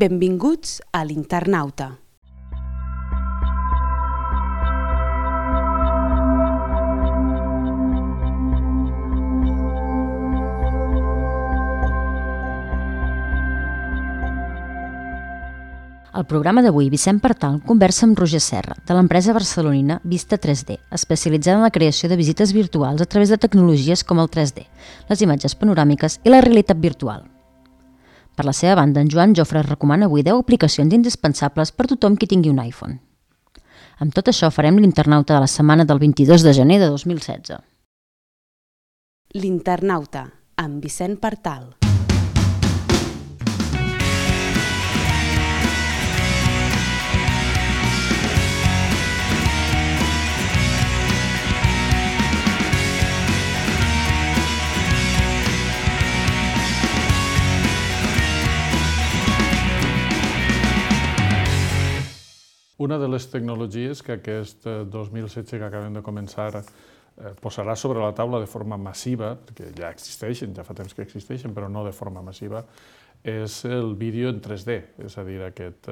Benvinguts a l'Internauta. Al programa d'avui, Vicent Partal conversa amb Roger Serra, de l'empresa barcelonina Vista 3D, especialitzada en la creació de visites virtuals a través de tecnologies com el 3D, les imatges panoràmiques i la realitat virtual. Per la seva banda, en Joan Jofre recomana avui 10 aplicacions indispensables per tothom qui tingui un iPhone. Amb tot això farem l'Internauta de la setmana del 22 de gener de 2016. L'Internauta, amb Vicent Partal. Una de les tecnologies que aquest 2016 que acabem de començar posarà sobre la taula de forma massiva, que ja existeixen, ja fa temps que existeixen, però no de forma massiva, és el vídeo en 3D, és a dir, aquest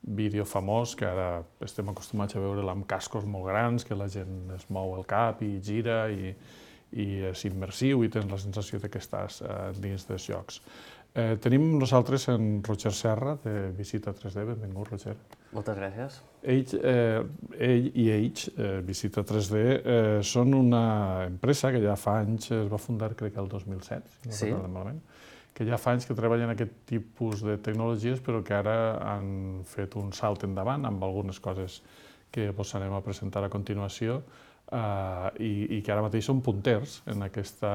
vídeo famós que ara estem acostumats a veure amb cascos molt grans, que la gent es mou el cap i gira i és immersiu i tens la sensació que estàs dins dels jocs. Tenim nosaltres en Roger Serra, de Visita 3D. Benvingut, Roger. Moltes gràcies. Ell i ells, Visita 3D, són una empresa que ja fa anys, es va fundar crec que el 2007, si no recordo malament, que ja fa anys que treballen aquest tipus de tecnologies, però que ara han fet un salt endavant amb algunes coses que vos anem a presentar a continuació i que ara mateix són punters en aquesta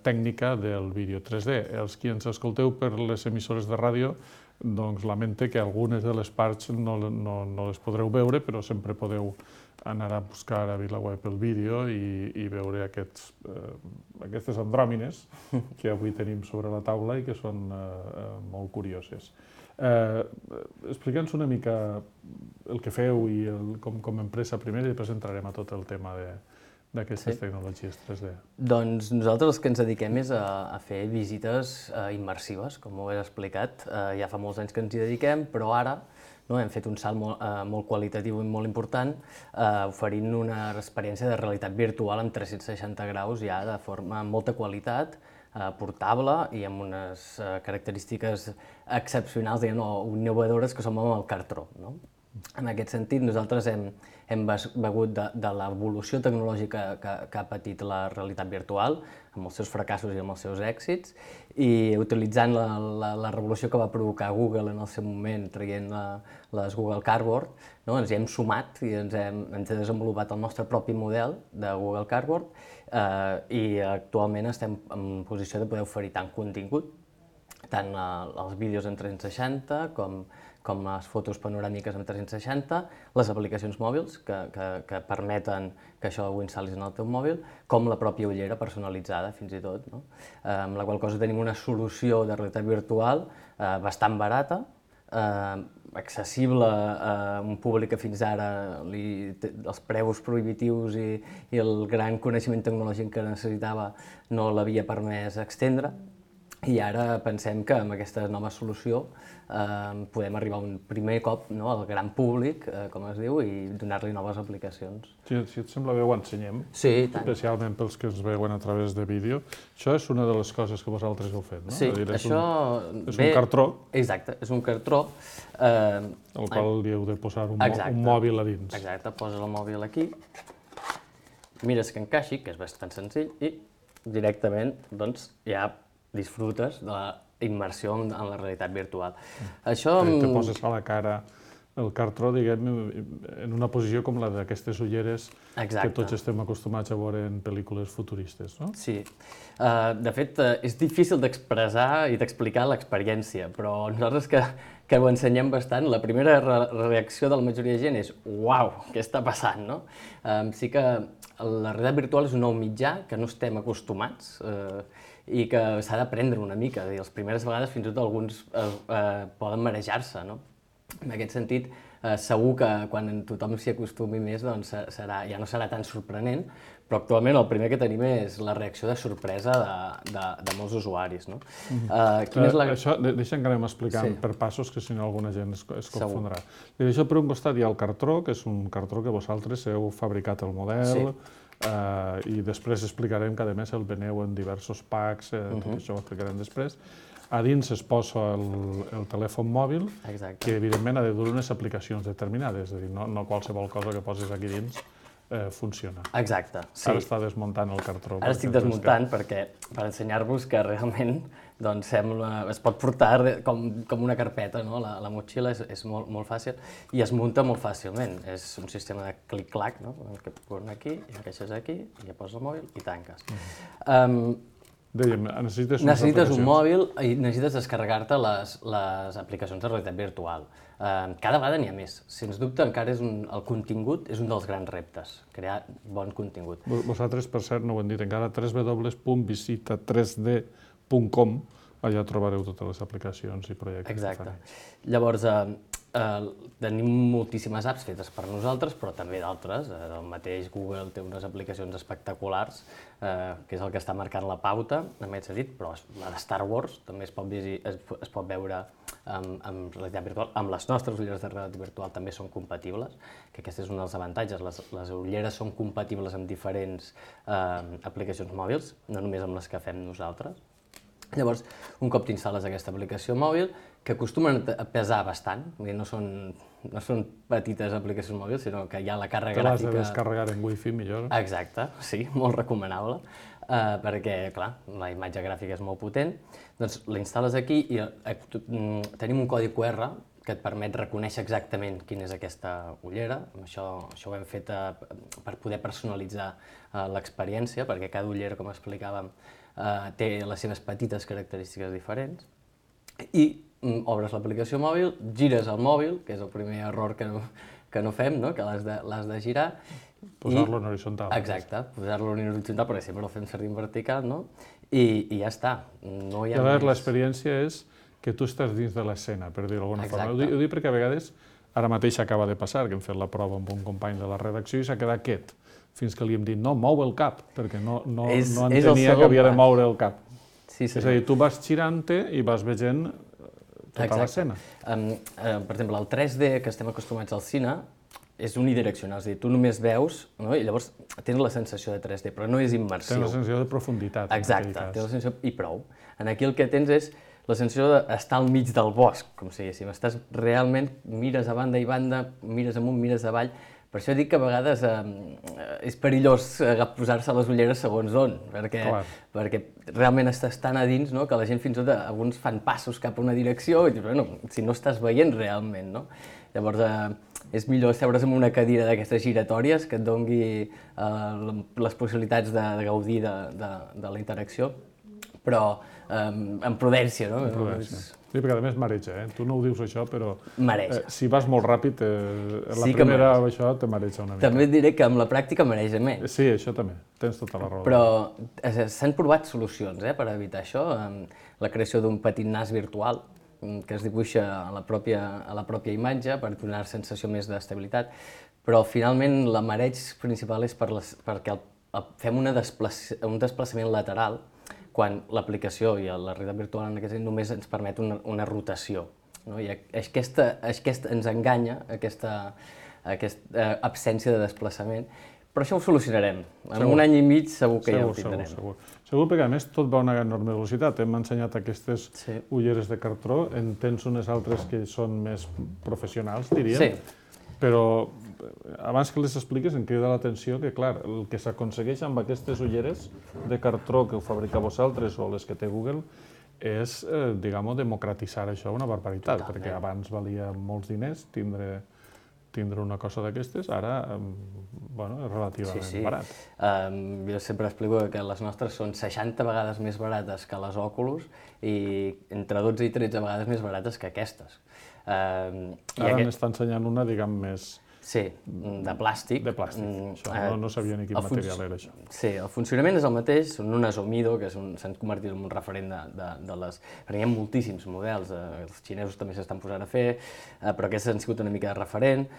tècnica del vídeo 3D. Els qui ens escolteu per les emissores de ràdio, doncs lamente que algunes de les parts no les podreu veure, però sempre podeu anar a buscar a VilaWeb el vídeo i veure aquestes andròmines que avui tenim sobre la taula i que són molt curioses. Explica'ns una mica el que feu i com a empresa primer i després entrarem a tot el tema d'aquestes tecnologies 3D. Doncs nosaltres el que ens dediquem és a fer visites immersives, com ho he explicat. Ja fa molts anys que ens hi dediquem, però ara hem fet un salt molt qualitatiu i molt important, oferint una experiència de realitat virtual amb 360 graus ja de forma amb molta qualitat, portable i amb unes característiques excepcionals o innovadores que som amb el cartró. En aquest sentit, nosaltres hem begut de l'evolució tecnològica que ha patit la realitat virtual, amb els seus fracassos i amb els seus èxits, i utilitzant la revolució que va provocar Google en el seu moment, traient les Google Cardboard, ens hi hem sumat i ens hem desenvolupat el nostre propi model de Google Cardboard i actualment estem en posició de poder oferir tant contingut, tant els vídeos en 360 com les fotos panoràmiques en 360, les aplicacions mòbils que permeten que això ho instal·lis en el teu mòbil, com la pròpia ullera personalitzada, fins i tot, amb la qual cosa tenim una solució de realitat virtual bastant barata, accessible a un públic que fins ara els preus prohibitius i el gran coneixement tecnològic que necessitava no l'havia permès extendre. I ara pensem que amb aquesta nova solució podem arribar un primer cop al gran públic, com es diu, i donar-li noves aplicacions. Si et sembla bé, ho ensenyem, especialment pels que ens veuen a través de vídeo. Això és una de les coses que vosaltres heu fet, no? Sí, això... És un cartró. Exacte, és un cartró. Al qual li heu de posar un mòbil a dins. Exacte, poses el mòbil aquí, mires que encaixi, que és bastant senzill, i directament ja disfrutes de la immersió en la realitat virtual. Te poses a la cara el cartró, diguem, en una posició com la d'aquestes ulleres que tots estem acostumats a veure en pel·lícules futuristes, no? Sí. De fet, és difícil d'expressar i d'explicar l'experiència, però nosaltres que ho ensenyem bastant, la primera reacció de la majoria de gent és «Uau, què està passant?», no? Sí que la realitat virtual és un nou mitjà que no estem acostumats i que s'ha d'aprendre una mica. Les primeres vegades fins i tot alguns poden marejar-se, no? En aquest sentit, segur que quan tothom s'hi acostumi més doncs ja no serà tan sorprenent, però actualment el primer que tenim és la reacció de sorpresa de molts usuaris. No? Això, deixa'm que anem explicant per passos, que si no alguna gent es confondrà. I d'això per un costat hi ha el cartró, que és un cartró que vosaltres heu fabricat el model, i després explicarem que a més el veneu en diversos packs, tot això ho explicarem després. A dins es posa el telèfon mòbil, que evidentment ha de dur unes aplicacions determinades, és a dir, no qualsevol cosa que posis aquí dins funciona. Exacte, sí. Ara està desmuntant el cartró. Ara estic desmuntant per ensenyar-vos que realment es pot portar com una carpeta, la motxilla és molt fàcil i es munta molt fàcilment. És un sistema de clic-clac, que posen aquí, encaixes aquí, i ja poses el mòbil i tanques. Dèiem, necessites un mòbil i necessites descarregar-te les aplicacions de realitat virtual. Cada vegada n'hi ha més. Sens dubte, encara el contingut és un dels grans reptes, crear bon contingut. Vosaltres, per cert, no ho hem dit encara, www.visita3d.com, allà trobareu totes les aplicacions i projectes. Exacte. Llavors, tenim moltíssimes apps fetes per nosaltres, però també d'altres. El mateix Google té unes aplicacions espectaculars, que és el que està marcant la pauta, en aquest sentit, però la de Star Wars també es pot veure amb realitat virtual. Amb les nostres ulleres de realitat virtual també són compatibles, que aquest és un dels avantatges. Les ulleres són compatibles amb diferents aplicacions mòbils, no només amb les que fem nosaltres. Llavors, un cop t'instal·les aquesta aplicació mòbil, que acostumen a pesar bastant, no són petites aplicacions mòbils, sinó que hi ha la càrrega gràfica... Te l'has de descarregar en wifi millor. Exacte, sí, molt recomanable, perquè, clar, la imatge gràfica és molt potent. Doncs la instal·les aquí i tenim un codi QR que et permet reconèixer exactament quina és aquesta ullera. Això ho hem fet per poder personalitzar l'experiència, perquè cada ullera, com explicàvem, té les seves petites característiques diferents. I obres l'aplicació mòbil, gires el mòbil, que és el primer error que no fem, que l'has de girar. Posar-lo en horitzontal. Exacte, posar-lo en horitzontal, perquè sempre el fem servir en vertical, i ja està. Llavors, l'experiència és que tu estàs dins de l'escena, per dir-ho d'alguna forma. Ho dic perquè a vegades, ara mateix acaba de passar, que hem fet la prova amb un company de la redacció i s'ha quedat quiet, fins que li hem dit, no, mou el cap, perquè no entenia que havia de moure el cap. És a dir, tu vas girant-te i vas veient tota l'escena. Per exemple, el 3D que estem acostumats al cine és unidireccional, és a dir, tu només veus i llavors tens la sensació de 3D, però no és immersiu. Tens la sensació de profunditat. Exacte, tens la sensació i prou. Aquí el que tens és la sensació d'estar al mig del bosc, com si diguéssim. Estàs realment, mires a banda i banda, mires amunt, mires avall. Per això dic que a vegades és perillós posar-se les ulleres segons on, perquè realment estàs tan a dins que la gent fins i tot alguns fan passos cap a una direcció i dius, bueno, si no estàs veient realment, no? Llavors és millor seure's en una cadira d'aquestes giratòries que et doni les possibilitats de gaudir de la interacció, però amb prudència, no? Amb prudència. Sí, perquè a més mareja, Tu no ho dius això, però si vas molt ràpid, la primera això te mareja una mica. També et diré que amb la pràctica mareja més. Sí, això també, tens tota la raó. Però s'han provat solucions per evitar això, la creació d'un petit nas virtual que es dibuixa a la pròpia imatge per donar sensació més d'estabilitat, però finalment la mareig principal és perquè fem un desplaçament lateral quan l'aplicació i la realitat virtual en aquest sentit només ens permet una rotació. I aquesta ens enganya, aquesta absència de desplaçament, però això ho solucionarem. En un any i mig segur que ja ho tindrem. Segur, perquè a més tot va a una enorme velocitat. Hem ensenyat aquestes ulleres de cartró, en tens unes altres que són més professionals, diríem. Sí. Però abans que les expliques em crida l'atenció que, clar, el que s'aconsegueix amb aquestes ulleres de cartró que ho fabrica vosaltres o les que té Google és, diguem-ho, democratitzar això una barbaritat, perquè abans valia molts diners tindre una cosa d'aquestes, ara, és relativament barat. Jo sempre explico que les nostres són 60 vegades més barates que les Oculus i entre 12 i 13 vegades més barates que aquestes. Ara n'està ensenyant una, diguem, més Sí, de plàstic. De plàstic, això, no sabia ni quin material era això. Sí, el funcionament és el mateix, són unes Omido, que s'han convertit en un referent de les... Perquè hi ha moltíssims models, els xinesos també s'estan posant a fer, però aquests han sigut una mica de referent,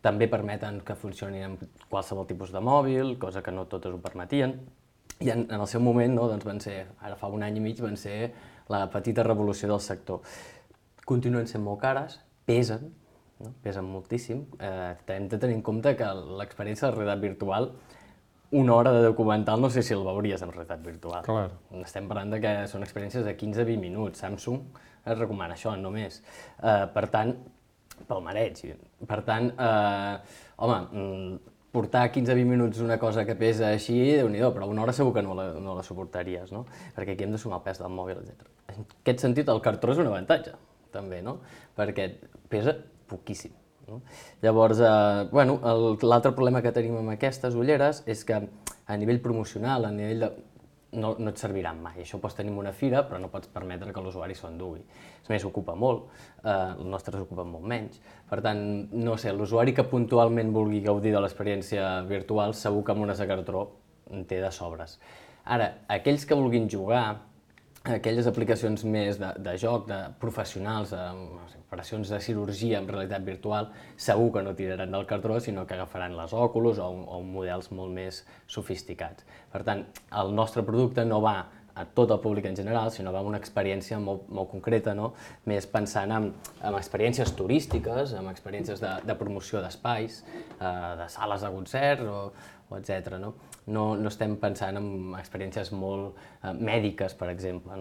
també permeten que funcionin amb qualsevol tipus de mòbil, cosa que no totes ho permetien, i en el seu moment, no, doncs van ser, ara fa un any i mig, van ser la petita revolució del sector. Continuen sent molt cares, pesen, no? Pesen moltíssim. Hem de tenir en compte que l'experiència de realitat virtual, una hora de documental no sé si el veuries en realitat virtual. Clar. Estem parlant de que són experiències de 15-20 minuts. Samsung es recomana això, només. Per tant, pel mareig. Per tant, home, portar 15-20 minuts una cosa que pesa així, Déu-n'hi-do, però una hora segur que no la suportaries, no? Perquè aquí hem de sumar el pes del mòbil, etc. En aquest sentit, el cartró és un avantatge, també, no? Perquè pesa poquíssim. No? Llavors, l'altre problema que tenim amb aquestes ulleres és que a nivell promocional, a nivell de... no et serviran mai. Això ho pots tenir en una fira, però no pots permetre que l'usuari s'ho endugui. A més, ocupa molt, els nostres ocupen molt menys. Per tant, no sé, l'usuari que puntualment vulgui gaudir de l'experiència virtual, segur que amb unes de cartró en té de sobres. Ara, aquells que vulguin jugar, aquelles aplicacions més de joc, de professionals, operacions de cirurgia en realitat virtual, segur que no tiraran del cartró, sinó que agafaran les Oculus o models molt més sofisticats. Per tant, el nostre producte no va a tot el públic en general, sinó va a una experiència molt concreta, no? Més pensant en experiències turístiques, en experiències de promoció d'espais, de sales de concert o etc. No estem pensant en experiències molt mèdiques, per exemple.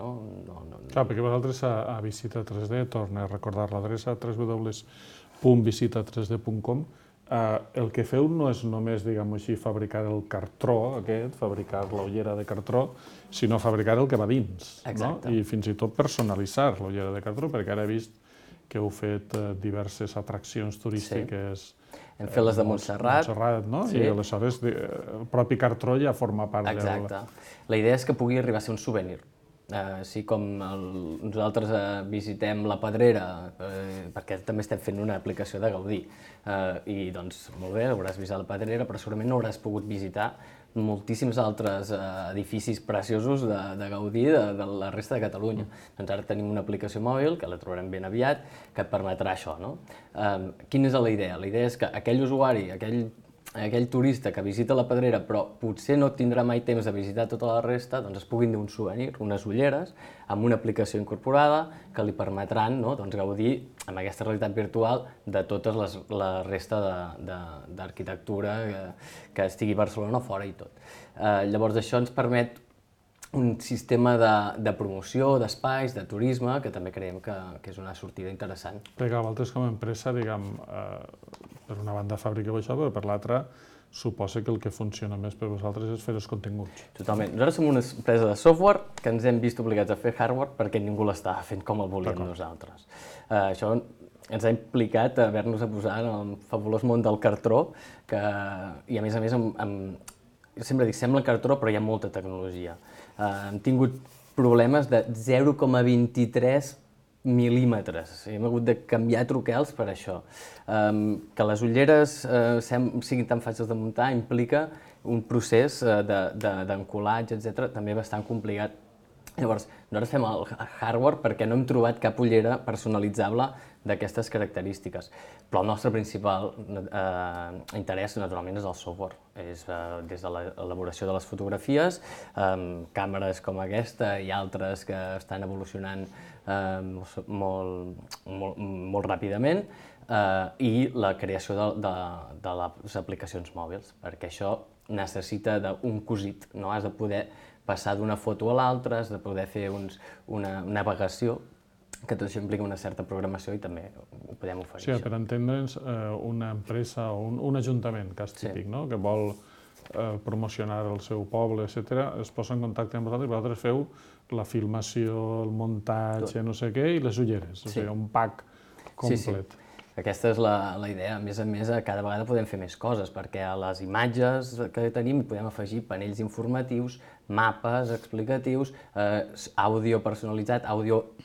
Clar, perquè vosaltres a Visita 3D, torna a recordar l'adreça www.visita3d.com, el que feu no és només, diguem-ho així, fabricar el cartró aquest, fabricar l'ullera de cartró, sinó fabricar el que va dins. Exacte. I fins i tot personalitzar l'ullera de cartró, perquè ara he vist que heu fet diverses atraccions turístiques. Hem fet les de Montserrat. No? I aleshores el propi cartró ja forma part del... Exacte. La idea és que pugui arribar a ser un souvenir. Així com nosaltres visitem la Pedrera, perquè també estem fent una aplicació de Gaudí, i doncs molt bé, hauràs visitat la Pedrera, però segurament no hauràs pogut visitar moltíssims altres edificis preciosos de Gaudí de la resta de Catalunya. Doncs ara tenim una aplicació mòbil, que la trobarem ben aviat, que et permetrà això. Quina és la idea? La idea és que aquell usuari, aquell turista que visita la Pedrera però potser no tindrà mai temps de visitar tota la resta, doncs es puguin dur un souvenir, unes ulleres, amb una aplicació incorporada que li permetran gaudir amb aquesta realitat virtual de tota la resta d'arquitectura que estigui a Barcelona o fora i tot. Llavors això ens permet un sistema de promoció, d'espais, de turisme, que també creiem que és una sortida interessant. Perquè vosaltres com a empresa, diguem, per una banda fabriqueu això, però per l'altra suposa que el que funciona més per vosaltres és fer els continguts. Totalment. Nosaltres som una empresa de software que ens hem vist obligats a fer hardware perquè ningú l'estava fent com el volíem nosaltres. Això ens ha implicat haver-nos a posar en el fabulós món del cartró, i a més, sempre dic, sembla cartró, però hi ha molta tecnologia. Hem tingut problemes de 0,23 mil·límetres. Hem hagut de canviar truquels per això. Que les ulleres siguin tan fàcils de muntar implica un procés d'encolatge, etc., també bastant complicat. Llavors, nosaltres fem el hardware perquè no hem trobat cap ullera personalitzable d'aquestes característiques. Però el nostre principal interès, naturalment, és el software. És des de l'elaboració de les fotografies, càmeres com aquesta i altres que estan evolucionant molt ràpidament, i la creació de les aplicacions mòbils, perquè això necessita d'un cosit, no? Has de poder passar d'una foto a l'altra, has de poder fer una navegació, que tot això implica una certa programació i també ho podem oferir. Sí, per entendre'ns, una empresa o un ajuntament, cas típic, que vol promocionar el seu poble, etc., es posa en contacte amb vosaltres i vosaltres feu la filmació, el muntatge, no sé què, i les ulleres, o sigui, un pack complet. Aquesta és la idea. A més, cada vegada podem fer més coses, perquè a les imatges que tenim podem afegir panells informatius, mapes explicatius, àudio personalitzat, àudio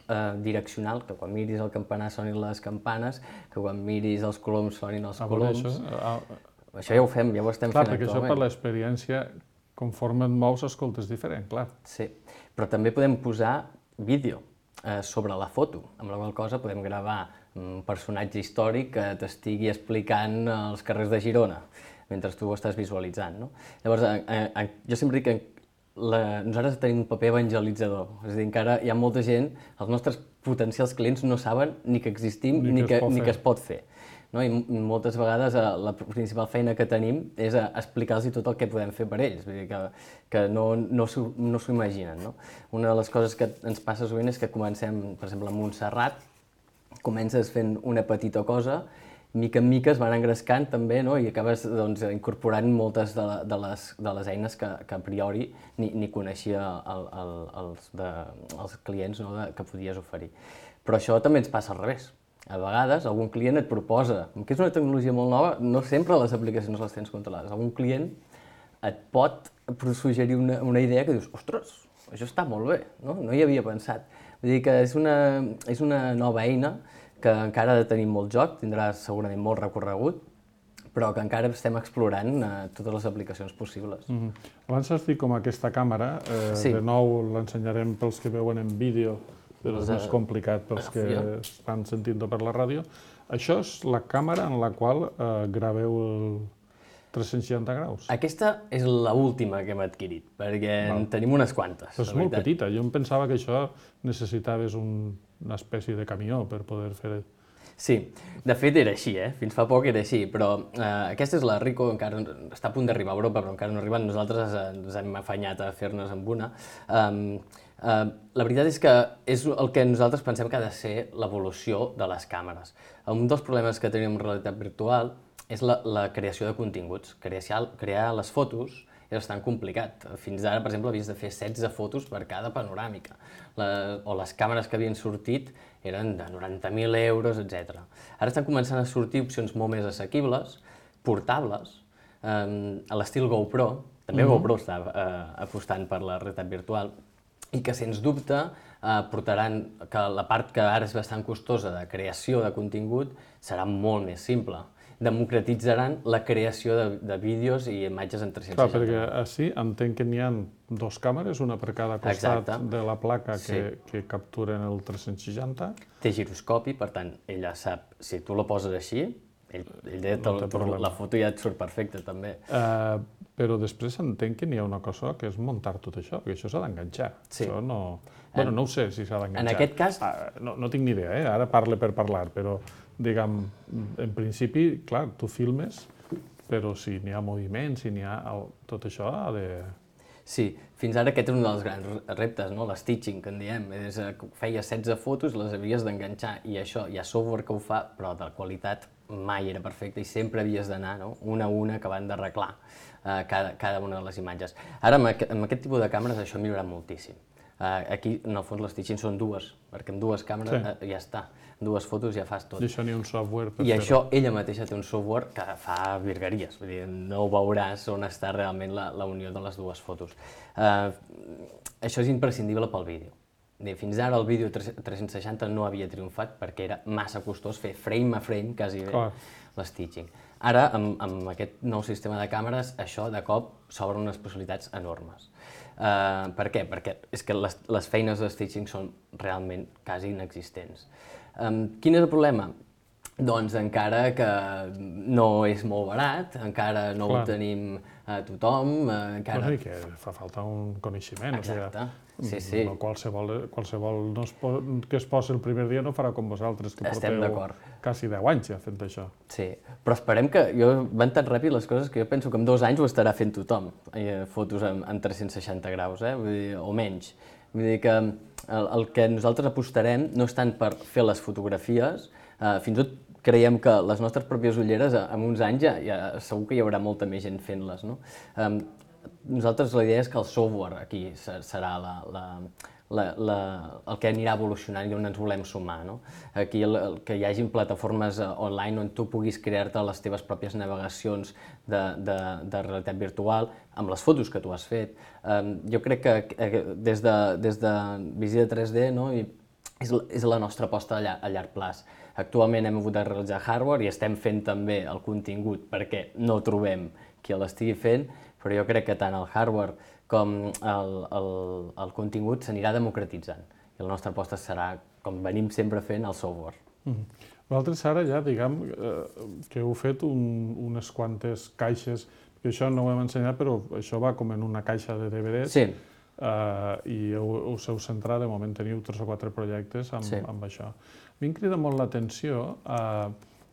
direccional, que quan miris el campanar sonin les campanes, que quan miris els coloms sonin els coloms. Això ja ho fem, ja ho estem fent actualment. Clar, perquè això per l'experiència, conforme et mous, escoltes diferent, clar. Sí, però també podem posar vídeo sobre la foto, amb la qual cosa podem gravar un personatge històric que t'estigui explicant els carrers de Girona, mentre tu ho estàs visualitzant, no? Llavors, jo sempre dic que nosaltres tenim un paper evangelitzador, és a dir, encara hi ha molta gent, els nostres potencials clients no saben ni que existim ni que es pot fer. I moltes vegades la principal feina que tenim és explicar-los tot el que podem fer per ells, vull dir que no s'ho imaginen. Una de les coses que ens passa sovint és que comencem, per exemple, a Montserrat, comences fent una petita cosa, mica en mica es van engrescant també, i acabes incorporant moltes de les eines que a priori ni coneixia els clients que podies oferir. Però això també ens passa al revés. A vegades algun client et proposa, que és una tecnologia molt nova, no sempre les aplicacions les tens controlades. Algun client et pot suggerir una idea que dius, ostres, això està molt bé, no hi havia pensat. Vull dir que és una nova eina que encara ha de tenir molt joc, tindrà segurament molt recorregut, però que encara estem explorant totes les aplicacions possibles. Abans has dit com aquesta càmera, de nou l'ensenyarem pels que veuen en vídeo, però és més complicat pels que estan sentint-ho per la ràdio. Això és la càmera en la qual graveu el 360 graus? Aquesta és l'última que hem adquirit, perquè en tenim unes quantes. Però és molt petita, jo em pensava que això necessitaves una espècie de camió per poder fer... Sí, de fet era així, fins fa poc era així, però aquesta és la Ricoh, encara està a punt d'arribar a Europa, però encara no ha arribat, nosaltres ens hem afanyat a fer-nos amb una. La veritat és que és el que nosaltres pensem que ha de ser l'evolució de les càmeres. Un dels problemes que tenim en realitat virtual és la creació de continguts. Crear les fotos és bastant complicat. Fins ara, per exemple, havies de fer 16 fotos per cada panoràmica. O les càmeres que havien sortit eren de 90.000 euros, etc. Ara estan començant a sortir opcions molt més assequibles, portables, a l'estil GoPro. També GoPro està apostant per la realitat virtual, i que, sens dubte, portaran que la part que ara és bastant costosa de creació de contingut serà molt més simple. Democratitzaran la creació de vídeos i imatges en 360. Clar, perquè així entenc que n'hi ha dues càmeres, una per cada costat de la placa que capturen el 360. Té giroscopi, per tant, ella sap, si tu la poses així, la foto ja et surt perfecta, també. Però després entenc que n'hi ha una cosa que és muntar tot això, perquè això s'ha d'enganxar. Això no... Bueno, no ho sé si s'ha d'enganxar. En aquest cas... No tinc ni idea, ara parle per parlar, però, diguem, en principi, clar, tu filmes, però si n'hi ha moviment, si n'hi ha... Tot això ha de... Sí, fins ara aquest és un dels grans reptes, l'stitching, que en diem. Feies 16 fotos, les havies d'enganxar, i això, hi ha software que ho fa, però de qualitat mai era perfecta i sempre havies d'anar una a una acabant d'arreglar cada una de les imatges. Ara, amb aquest tipus de càmeres, això ha millorat moltíssim. Aquí, en el fons, les stitching són dues, perquè amb dues càmeres ja està. Dues fotos ja fas tot. I això ni un software per fer-ho. I això, ella mateixa té un software que fa virgueries, vull dir, no veuràs on està realment la unió de les dues fotos. Això és imprescindible pel vídeo. Fins ara el vídeo 360 no havia triomfat perquè era massa costós fer frame a frame, quasi bé, l'stitching. Ara, amb aquest nou sistema de càmeres, això de cop s'obren unes possibilitats enormes. Per què? Perquè és que les feines de stitching són realment quasi inexistents. Quin és el problema? Doncs encara que no és molt barat, encara no ho tenim a tothom, encara... Vol dir que fa falta un coneixement. Exacte, sí. Qualsevol que es posi el primer dia no farà com vosaltres, que porteu quasi 10 anys ja fent això. Sí, però esperem que... Van tan ràpid les coses que jo penso que en 2 anys ho estarà fent tothom, fotos en 360 graus, o menys. Vull dir que el que nosaltres apostarem no és tant per fer les fotografies, fins i tot creiem que les nostres pròpies ulleres, en uns anys, segur que hi haurà molta més gent fent-les. Nosaltres la idea és que el software aquí serà el que anirà evolucionant i on ens volem sumar. Aquí que hi hagin plataformes online on tu puguis crear-te les teves pròpies navegacions de realitat virtual amb les fotos que tu has fet. Jo crec que des de Visita 3D és la nostra aposta a llarg plaç. Actualment hem hagut de realitzar hardware i estem fent també el contingut perquè no trobem qui l'estigui fent, però jo crec que tant el hardware com el contingut s'anirà democratitzant. I la nostra aposta serà, com venim sempre fent, el software. Vosaltres ara ja, diguem, que heu fet unes quantes caixes, que això no ho hem ensenyat, però això va com en una caixa de DVDs. Sí. I us heu centrat, de moment teniu 3 o 4 projectes amb això. A mi em crida molt l'atenció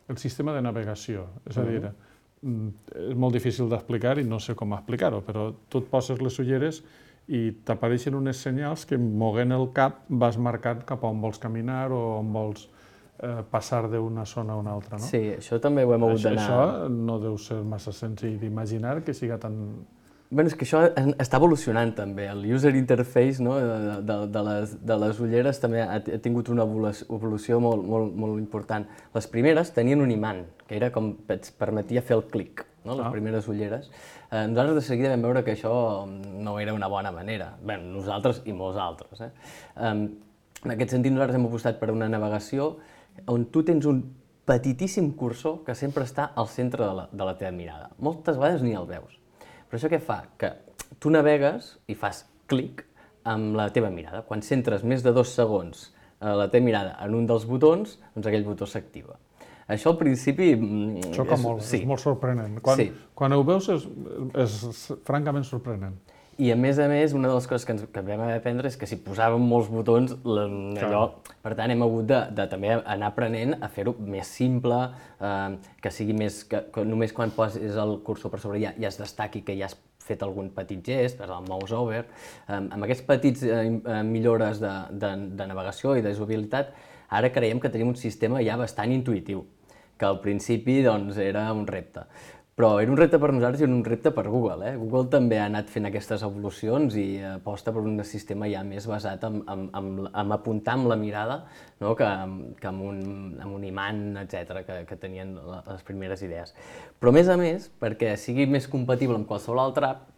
el sistema de navegació, és a dir, és molt difícil d'explicar i no sé com explicar-ho, però tu et poses les ulleres i t'apareixen unes senyals que moguent el cap vas marcant cap a on vols caminar o on vols passar d'una zona a una altra, no? Sí, això també ho hem hagut d'anar... Això no deu ser massa senzill d'imaginar que siga tan... Bé, és que això està evolucionant també. El user interface de les ulleres també ha tingut una evolució molt important. Les primeres tenien un imant, que era com et permetia fer el clic, les primeres ulleres. Nosaltres de seguida vam veure que això no era una bona manera. Bé, nosaltres i molts altres. En aquest sentit, nosaltres hem apostat per una navegació on tu tens un petitíssim cursor que sempre està al centre de la teva mirada. Moltes vegades ni el veus. Però això què fa? Que tu navegues i fas clic amb la teva mirada. Quan centres més de 2 segons la teva mirada en un dels botons, doncs aquell botó s'activa. Això al principi... Xoca molt, és molt sorprenent. Quan ho veus és francament sorprenent. I a més, una de les coses que vam haver d'aprendre és que si posàvem molts botons, allò... Per tant, hem hagut de també anar aprenent a fer-ho més simple, que sigui més... que només quan poses el cursor per sobre ja es destaqui que ja has fet algun petit gest, el mouse over. Amb aquests petits millores de navegació i de usabilitat, ara creiem que tenim un sistema ja bastant intuïtiu, que al principi era un repte. Però era un repte per nosaltres i un repte per Google. Google també ha anat fent aquestes evolucions i aposta per un sistema ja més basat en apuntar amb la mirada que amb un imant, etc., que tenien les primeres idees. Però a més, perquè sigui més compatible amb qualsevol altra app,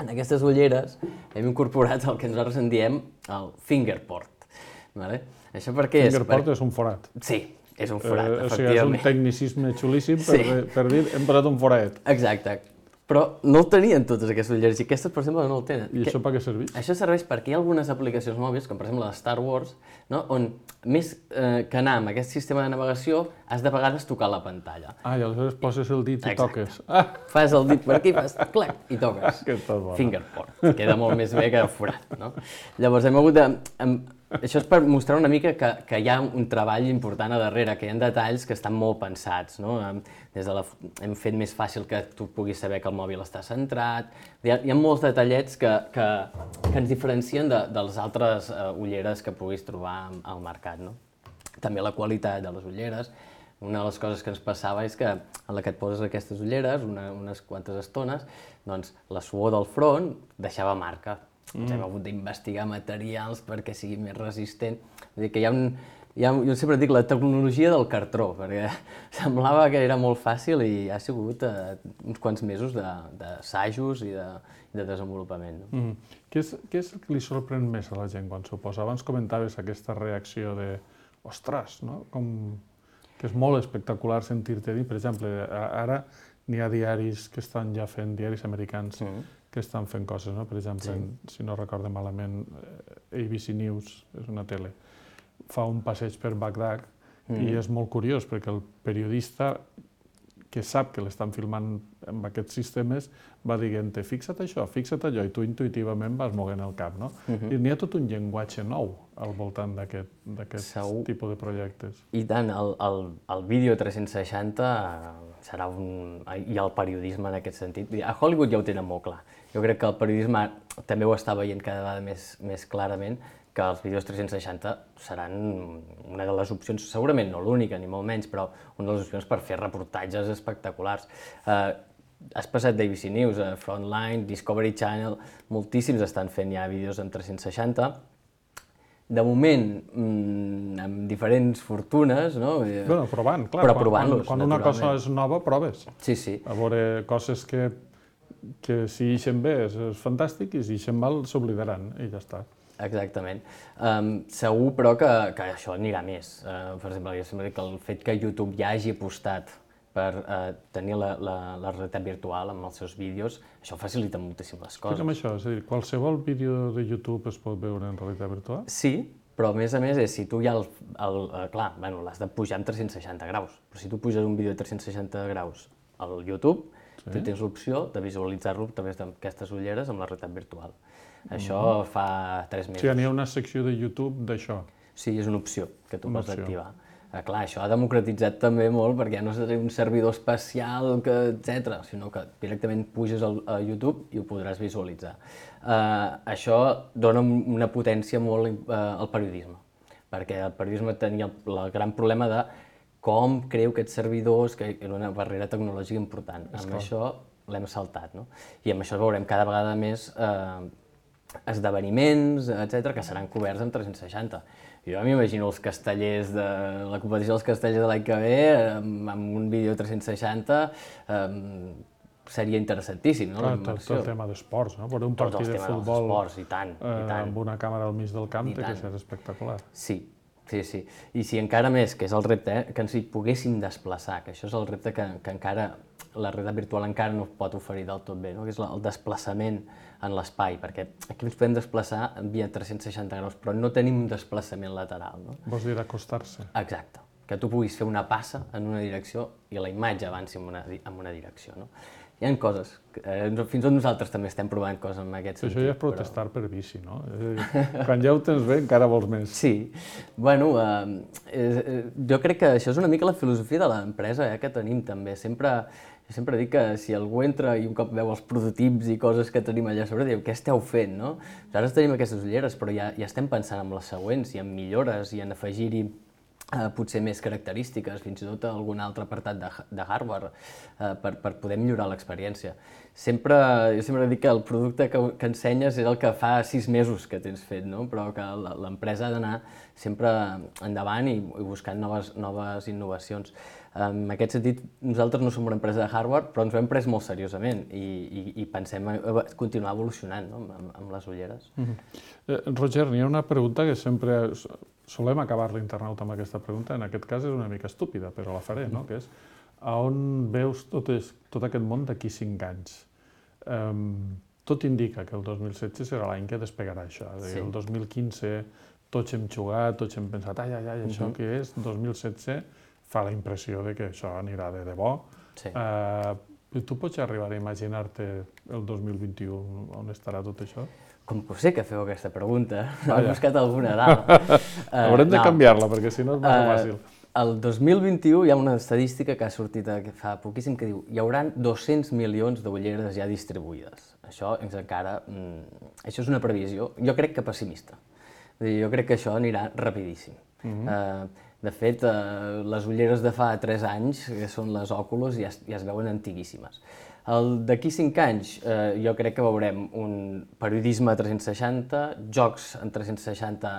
en aquestes ulleres hem incorporat el que nosaltres en diem el fingerport. Això per què és? Fingerport és un forat. Sí. És un forat, efectivament. O sigui, és un tecnicisme xulíssim per dir hem posat un forat. Exacte. Però no el tenien totes aquestes ulleres i aquestes, per exemple, no el tenen. I això per què serveix? Això serveix perquè hi ha algunes aplicacions mòbils, com per exemple la de Star Wars, on més que anar amb aquest sistema de navegació has de vegades tocar la pantalla. I aleshores poses el dit i toques. Fas el dit per aquí, fas clac i toques. Fingerport. Queda molt més bé que forat. Llavors hem hagut de... Això és per mostrar una mica que hi ha un treball important a darrere, que hi ha detalls que estan molt pensats. Hem fet més fàcil que tu puguis saber que el mòbil està centrat. Hi ha molts detallets que ens diferencien de les altres ulleres que puguis trobar al mercat. També la qualitat de les ulleres. Una de les coses que ens passava és que en la que et poses aquestes ulleres, unes quantes estones, doncs la suor del front deixava marca. Ens hem hagut d'investigar materials perquè sigui més resistent. Vull dir que jo sempre dic la tecnologia del cartró, perquè semblava que era molt fàcil i ha sigut uns quants mesos d'assajos i de desenvolupament. Què és el que li sorprèn més a la gent quan s'ho posa? Abans comentaves aquesta reacció de ostres, que és molt espectacular sentir-te dir. Per exemple, ara n'hi ha diaris que estan ja fent, diaris americans, que estan fent coses, per exemple, si no recordo malament, ABC News, és una tele, fa un passeig per Bagdad i és molt curiós perquè el periodista que sap que l'estan filmant amb aquests sistemes va dient-te fixa't això, fixa't allò, i tu intuïtivament vas moguent el cap, no? I n'hi ha tot un llenguatge nou al voltant d'aquest tipus de projectes. I tant, el vídeo 360 serà i el periodisme en aquest sentit. A Hollywood ja ho tenen molt clar. Jo crec que el periodisme també ho està veient cada vegada més clarament, que els vídeos 360 seran una de les opcions, segurament no l'única, ni molt menys, però una de les opcions per fer reportatges espectaculars. Has passat d'ABC News, Frontline, Discovery Channel, moltíssims estan fent ja vídeos en 360. de moment, amb diferents fortunes, no? Bueno, provant, clar. Però provant-los, quan una cosa és nova, proves. Sí, sí. A veure coses que si ixen bé és fantàstic i si ixen mal s'oblidaran i ja està. Exactament. Segur, però, que això anirà més. Per exemple, jo sempre dic que el fet que YouTube ja hagi apostat per tenir la realitat virtual amb els seus vídeos, això facilita moltíssimes coses. Explica'm això, és a dir, qualsevol vídeo de YouTube es pot veure en realitat virtual? Sí, però a més, és si tu ja clar, l'has de pujar en 360 graus, però si tu puges un vídeo de 360 graus al YouTube, tu tens l'opció de visualitzar-lo a través d'aquestes ulleres amb la realitat virtual. Això fa 3 mesos. O sigui, n'hi ha una secció de YouTube d'això? Sí, és una opció que tu pots activar. Clar, això ha democratitzat també molt perquè no és un servidor especial, etc., sinó que directament puges a YouTube i ho podràs visualitzar. Això dona una potència molt al periodisme, perquè el periodisme tenia el gran problema de com creu aquests servidors, que era una barrera tecnològica important. Amb això l'hem saltat, no? I amb això veurem cada vegada més esdeveniments, etc., que seran coberts en 360. Jo m'imagino els castellers de la competició dels castellers de l'any que ve, amb un vídeo 360, seria interessantíssim, no? Tot el tema d'esports, no? Veure un partit de futbol amb una càmera al mig del camp té que ser espectacular. Sí. I si encara més, que és el repte, que ens hi poguéssim desplaçar, que això és el repte que encara la realitat virtual encara no pot oferir del tot bé, que és el desplaçament en l'espai, perquè aquí ens podem desplaçar via 360 graus, però no tenim un desplaçament lateral. Vols dir acostar-se? Exacte, que tu puguis fer una passa en una direcció i la imatge avanci en una direcció. Hi ha coses, fins i tot nosaltres també estem provant coses en aquest sentit. Això ja és protestar per bici, no? Quan ja ho tens bé encara vols més. Sí, bueno, jo crec que això és una mica la filosofia de l'empresa que tenim també. Jo sempre dic que si algú entra i un cop veu els prototips i coses que tenim allà sobre, diu, què esteu fent, no? Nosaltres tenim aquestes ulleres, però ja estem pensant en les següents i en millores i en afegir-hi potser més característiques, fins i tot algun altre apartat de hardware per poder millorar l'experiència. Jo sempre dic que el producte que ensenyes és el que fa 6 mesos que tens fet, no? Però que l'empresa ha d'anar sempre endavant i buscant noves innovacions. En aquest sentit, nosaltres no som una empresa de hardware, però ens ho hem pres molt seriosament i pensem continuar evolucionant amb les ulleres. Roger, n'hi ha una pregunta que sempre solem acabar l'internauta amb aquesta pregunta, en aquest cas és una mica estúpida, però la faré, no? Que és, a on veus tot aquest món d'aquí 5 anys? Tot indica que el 2016 serà l'any que despegarà això. El 2015 tots hem jugat, tots hem pensat, ai, això què és? 2017 fa la impressió que això anirà de debò. Tu pots arribar a imaginar-te el 2021 on estarà tot això? Com que sé que feu aquesta pregunta, he buscat alguna dada. Haurem de canviar-la, perquè si no és massa fàcil. El 2021 hi ha una estadística que ha sortit fa poquíssim que diu hi haurà 200 milions d'ulleres ja distribuïdes. Això és una previsió, jo crec que pessimista. Jo crec que això anirà rapidíssim. De fet, les ulleres de fa 3 anys, que són les Oculus, ja es veuen antiguíssimes. D'aquí 5 anys jo crec que veurem un periodisme 360, jocs en 360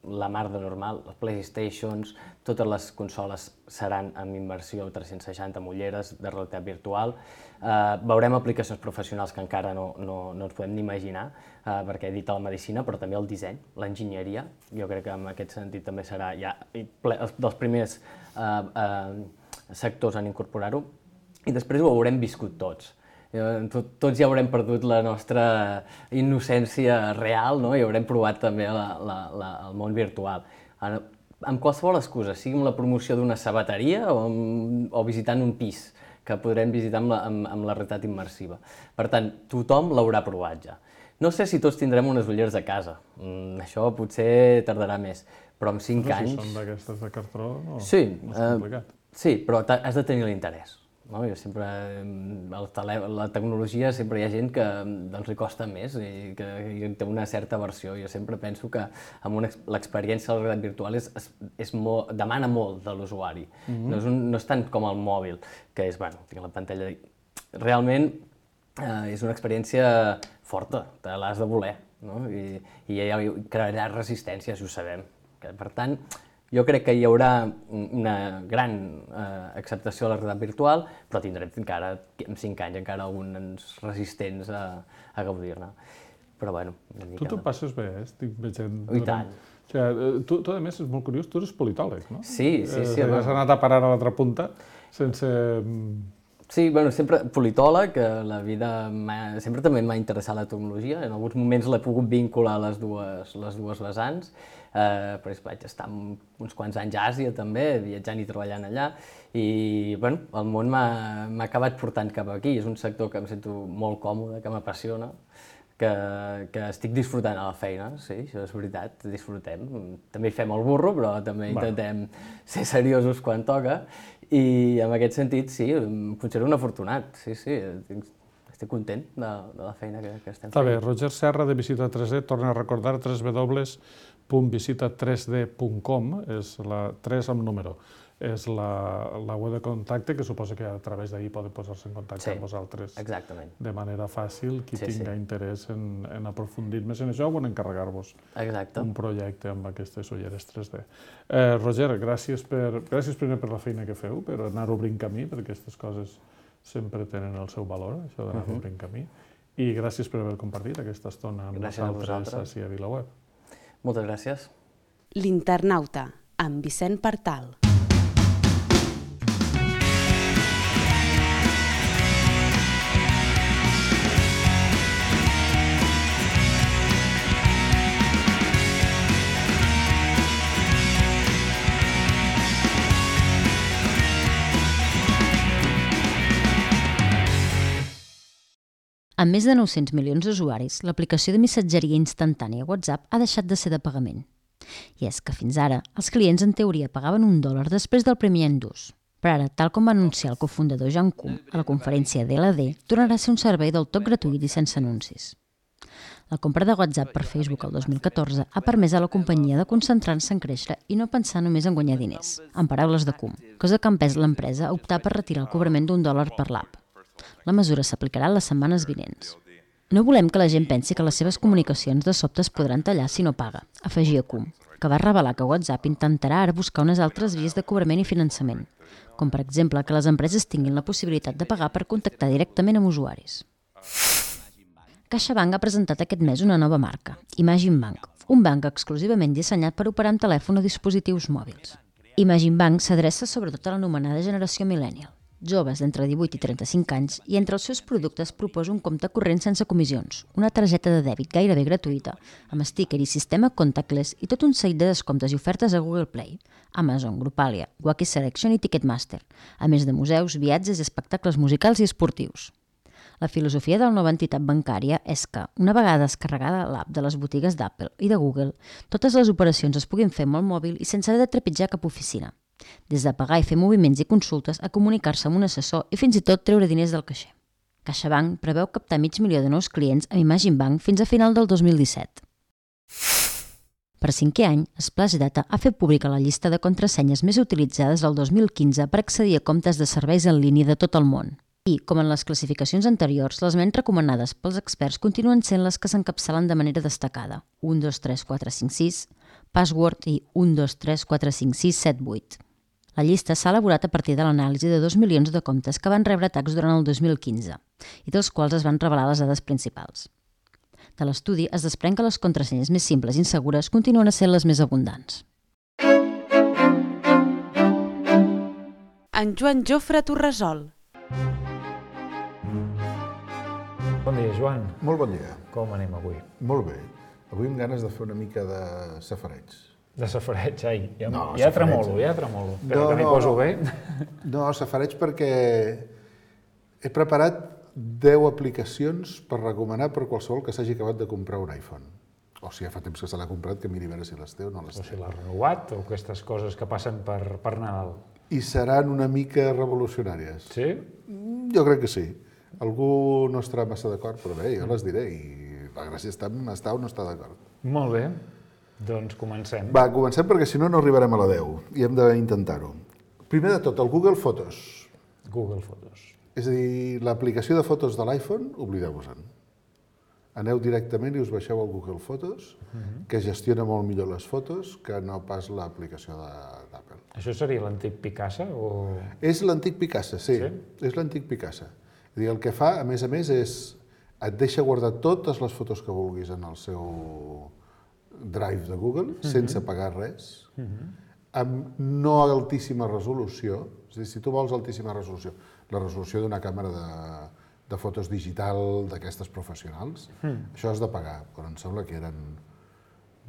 la mar de normal, les PlayStations, totes les consoles seran amb immersió 360 amb ulleres de realitat virtual. Veurem aplicacions professionals que encara no ens podem ni imaginar, perquè he dit la medicina, però també el disseny, l'enginyeria. Jo crec que en aquest sentit també serà ja dels primers sectors en incorporar-ho. I després ho haurem viscut tots. Tots ja haurem perdut la nostra innocència real, no? I haurem provat també el món virtual. Amb qualsevol excusa, sigui amb la promoció d'una sabateria o visitant un pis, que podrem visitar amb la realitat immersiva. Per tant, tothom l'haurà provat ja. No sé si tots tindrem unes ulleres a casa, això potser tardarà més, però en 5 anys... Si són d'aquestes de cartró, no és complicat. Sí, però has de tenir l'interès. Jo sempre, la tecnologia sempre hi ha gent que li costa més i que té una certa aversió. Jo sempre penso que l'experiència de la realitat virtual demana molt de l'usuari. No és tant com el mòbil, que és, tinc la pantalla... Realment és una experiència forta, te l'has de voler. i ja crearà resistència, si ho sabem. Per tant, jo crec que hi haurà una gran acceptació de la realitat virtual, però tindrem encara, en 5 anys, encara alguns resistents a gaudir-ne. Però bueno, una mica... Tu passes bé, estic veient... I tant. Tu, a més, és molt curiós, tu eres politòleg, no? Sí. Has anat a parar a l'altra punta sense... Sí, bueno, sempre politòleg, la vida sempre també m'ha interessat la tecnologia, en alguns moments l'he pogut vincular a les dues vessants, però vaig estar uns quants anys a Àsia també, viatjant i treballant allà, i bueno, el món m'ha acabat portant cap aquí, és un sector que em sento molt còmode, que m'apassiona, que estic disfrutant a la feina, sí, això és veritat, disfrutem. També hi fem el burro, però també intentem ser seriosos quan toca, i en aquest sentit, sí, em considero un afortunat, sí, estic content de la feina que estem fent. Està bé, Roger Serra de Visita 3D, torna a recordar www.visita3d.com, és la 3 amb número. És la web de contacte, que suposa que a través d'ahir poden posar-se en contacte amb vosaltres de manera fàcil. Qui tinga interès en aprofundir més en això o en encarregar-vos un projecte amb aquestes ulleres 3D. Roger, gràcies primer per la feina que feu, per anar obrint camí, perquè aquestes coses sempre tenen el seu valor, això d'anar obrint camí. I gràcies per haver compartit aquesta estona amb nosaltres a VilaWeb. Moltes gràcies. L'Internauta, amb Vicent Partal. Amb més de 900 milions d'usuaris, l'aplicació de missatgeria instantània WhatsApp ha deixat de ser de pagament. I és que fins ara, els clients en teoria pagaven $1 després del primer any d'ús. Però ara, tal com va anunciar el cofundador John Kuhn a la conferència DLD, tornarà a ser un servei del tot gratuït i sense anuncis. La compra de WhatsApp per Facebook el 2014 ha permès a la companyia de concentrar-se en créixer i no pensar només en guanyar diners, en paraules de Kuhn, cosa que ha empès l'empresa a optar per retirar el cobrament $1 per l'app. La mesura s'aplicarà les setmanes vinents. No volem que la gent pensi que les seves comunicacions de sobte es podran tallar si no paga, afegia Kuhn, que va revelar que WhatsApp intentarà ara buscar unes altres vies de cobrament i finançament, com per exemple que les empreses tinguin la possibilitat de pagar per contactar directament amb usuaris. CaixaBank ha presentat aquest mes una nova marca, Imagine Bank, un banc exclusivament dissenyat per operar amb telèfon o dispositius mòbils. Imagine Bank s'adreça sobretot a l'anomenada generació millennial, joves d'entre 18 i 35 anys, i entre els seus productes proposa un compte corrent sense comissions, una targeta de dèbit gairebé gratuïta, amb sticker i sistema contactless i tot un seguit de descomptes i ofertes a Google Play, Amazon, Grupalia, Wacky Selection i Ticketmaster, a més de museus, viatges i espectacles musicals i esportius. La filosofia de la nova entitat bancària és que, una vegada descarregada l'app de les botigues d'Apple i de Google, totes les operacions es puguin fer amb el mòbil i sense haver de trepitjar cap oficina. Des de pagar i fer moviments i consultes a comunicar-se amb un assessor i fins i tot treure diners del caixer. CaixaBank preveu captar 500.000 de nous clients amb Imagine Bank fins a final del 2017. Per 5è any, Splash Data ha fet pública la llista de contrasenyes més utilitzades del 2015 per accedir a comptes de serveis en línia de tot el món. I, com en les classificacions anteriors, les menys recomanades pels experts continuen sent les que s'encapçalen de manera destacada: 1, 2, 3, 4, 5, 6, password i 1, 2, 3, 4, 5, 6, 7, 8. La llista s'ha elaborat a partir de l'anàlisi de 2 milions de comptes que van rebre atacs durant el 2015 i dels quals es van revelar les dades principals. De l'estudi es desprèn que les contrasenyes més simples i insegures continuen sent les més abundants. En Joan Jofre t'ho resol. Bon dia, Joan. Molt bon dia. Com anem avui? Molt bé. Avui amb ganes de fer una mica de safareig. De safareig, ai. Ja tremolo. Però que m'hi poso bé. No, safareig perquè he preparat 10 aplicacions per recomanar per qualsevol que s'hagi acabat de comprar un iPhone. O si ja fa temps que se l'ha comprat, que miri a veure si les té o no les té. O si l'ha renovat, o aquestes coses que passen per Nadal. I seran una mica revolucionàries. Sí? Jo crec que sí. Algú no estarà massa d'acord, però bé, jo les diré i la gràcia està en estar o no estar d'acord. Molt bé, doncs comencem. Va, comencem perquè si no, no arribarem a la 10 i hem d'intentar-ho. Primer de tot, el Google Fotos. Google Fotos. És a dir, l'aplicació de fotos de l'iPhone, oblideu-vos-en. aneu directament i us baixeu el Google Fotos, que gestiona molt millor les fotos que no pas l'aplicació d'Apple. Això seria l'antic Picasa o...? És l'antic Picasa, sí. És l'antic Picasa. El que fa, a més, és et deixa guardar totes les fotos que vulguis en el seu Drive de Google, sense pagar res, amb no altíssima resolució. És a dir, si tu vols altíssima resolució, la resolució d'una càmera de fotos digital d'aquestes professionals, això has de pagar, però em sembla que eren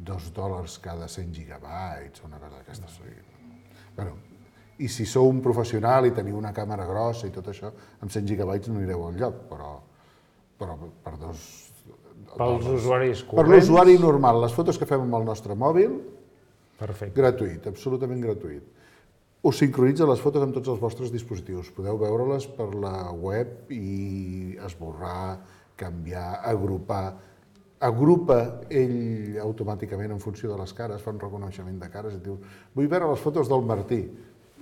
$2 cada 100 gigabytes o una cosa d'aquestes. Bueno, i si sou un professional i teniu una càmera grossa i tot això, amb 100 gigabytes no anireu enlloc, però per $2... Pels usuaris corrents? Per l'usuari normal, les fotos que fem amb el nostre mòbil, gratuït, absolutament gratuït. Us sincronitza les fotos amb tots els vostres dispositius. Podeu veure-les per la web i esborrar, canviar, agrupar. Agrupa ell automàticament en funció de les cares, fa un reconeixement de cares i et diu vull veure les fotos del Martí.